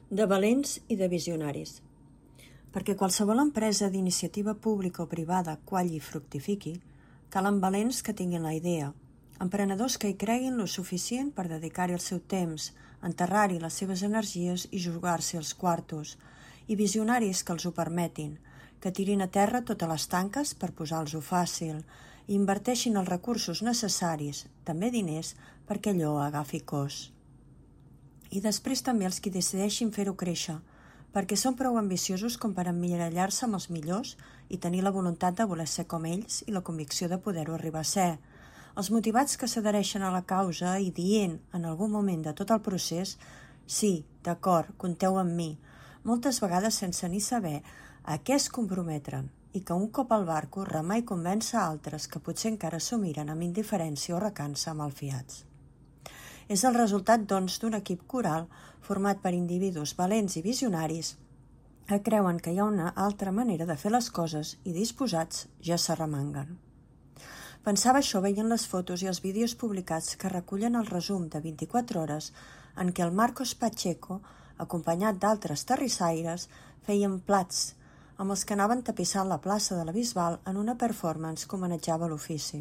De valents i de visionaris. Perquè qualsevol empresa d'iniciativa pública o privada qualli i fructifiqui, calen valents que tinguin la idea, emprenedors que hi creguin lo suficient per dedicar-hi el seu temps, enterrar-hi les seves energies i jugar-se els quartos, i visionaris que els ho permetin, que tirin a terra totes les tanques per posar-los-ho fàcil i inverteixin els recursos necessaris, també diners, perquè allò agafi cos. I després també els que decideixin fer-ho créixer, perquè són prou ambiciosos com per emmirallar-se amb els millors i tenir la voluntat de voler ser com ells i la convicció de poder-ho arribar a ser. Els motivats que s'adhereixen a la causa i dient en algun moment de tot el procés «Sí, d'acord, compteu amb mi», moltes vegades sense ni saber a què es comprometren i que un cop al barco remar i convèncer altres que potser encara s'ho miren amb indiferència o recança malfiats. És el resultat, doncs, d'un equip coral format per individus valents i visionaris que creuen que hi ha una altra manera de fer les coses i disposats ja s'arremanguen. Pensava això veient les fotos i els vídeos publicats que recullen el resum de 24 hores en què el Marcos Pacheco, acompanyat d'altres terrissaires, feien plats amb els que anaven tapissant la plaça de la Bisbal en una performance que homenatjava l'ofici.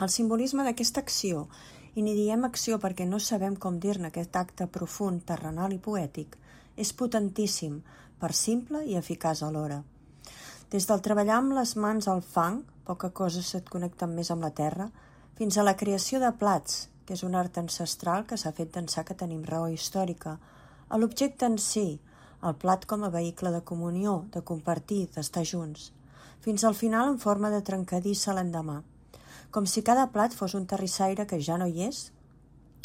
El simbolisme d'aquesta acció, i ni diem acció perquè no sabem com dir-ne aquest acte profund, terrenal i poètic, és potentíssim, per simple i eficaç alhora. Des del treballar amb les mans al fang, poca cosa se't connecta més amb la terra, fins a la creació de plats, que és un art ancestral que s'ha fet d'ençà que tenim raó històrica, a l'objecte en si, el plat com a vehicle de comunió, de compartir, d'estar junts, fins al final en forma de trencadissa l'endemà, com si cada plat fos un terrissaire que ja no hi és,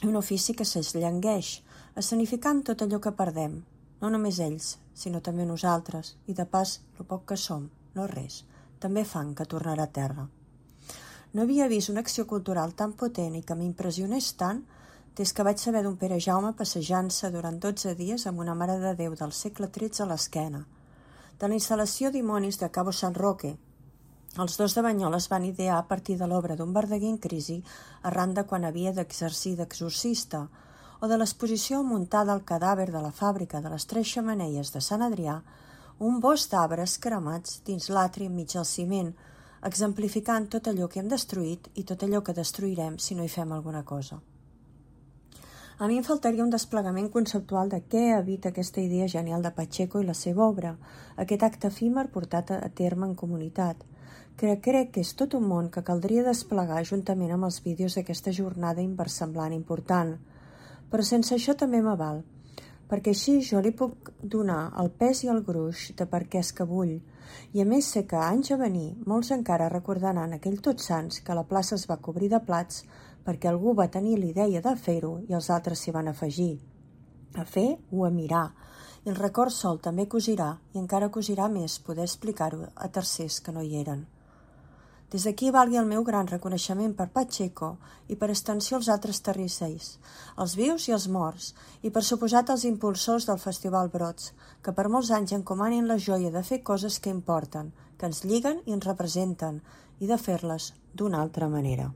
i un ofici que s'esllangueix, escenificant tot allò que perdem, no només ells, sinó també nosaltres, i de pas, lo poc que som, no res, també fang que tornarà a terra. No havia vist una acció cultural tan potent i que m'impressionés tant des que vaig saber d'un Pere Jaume passejant-se durant 12 dies amb una Mare de Déu del segle XIII a l'esquena, de la instal·lació Dimonis de Cabo San Roque. Els dos de Banyoles van idear a partir de l'obra d'un Verdaguer en crisi arran de quan havia d'exercir d'exorcista, o de l'exposició muntada al cadàver de la fàbrica de les Tres Xemeneies de Sant Adrià, un bosc d'arbres cremats dins l'atri enmig del ciment, exemplificant tot allò que hem destruït i tot allò que destruirem si no hi fem alguna cosa. A mi em faltaria un desplegament conceptual de què evita aquesta idea genial de Pacheco i la seva obra, aquest acte efímer portat a terme en comunitat, que crec que és tot un món que caldria desplegar juntament amb els vídeos d'aquesta jornada inversemblant important. Però sense això també m'aval, perquè així jo li puc donar el pes i el gruix de per què és que vull, i a més sé que anys a venir molts encara recordaran aquell Tots Sants que la plaça es va cobrir de plats perquè algú va tenir l'idea de fer-ho i els altres s'hi van afegir. A fer o a mirar. I el record sol també cosirà, i encara cosirà més poder explicar-ho a tercers que no hi eren. Des d'aquí valgui el meu gran reconeixement per Pacheco i per extensió als altres terrisseis, els vius i els morts, i per suposat als impulsors del Festival Brots, que per molts anys encomanin la joia de fer coses que importen, que ens lliguen i ens representen, i de fer-les d'una altra manera.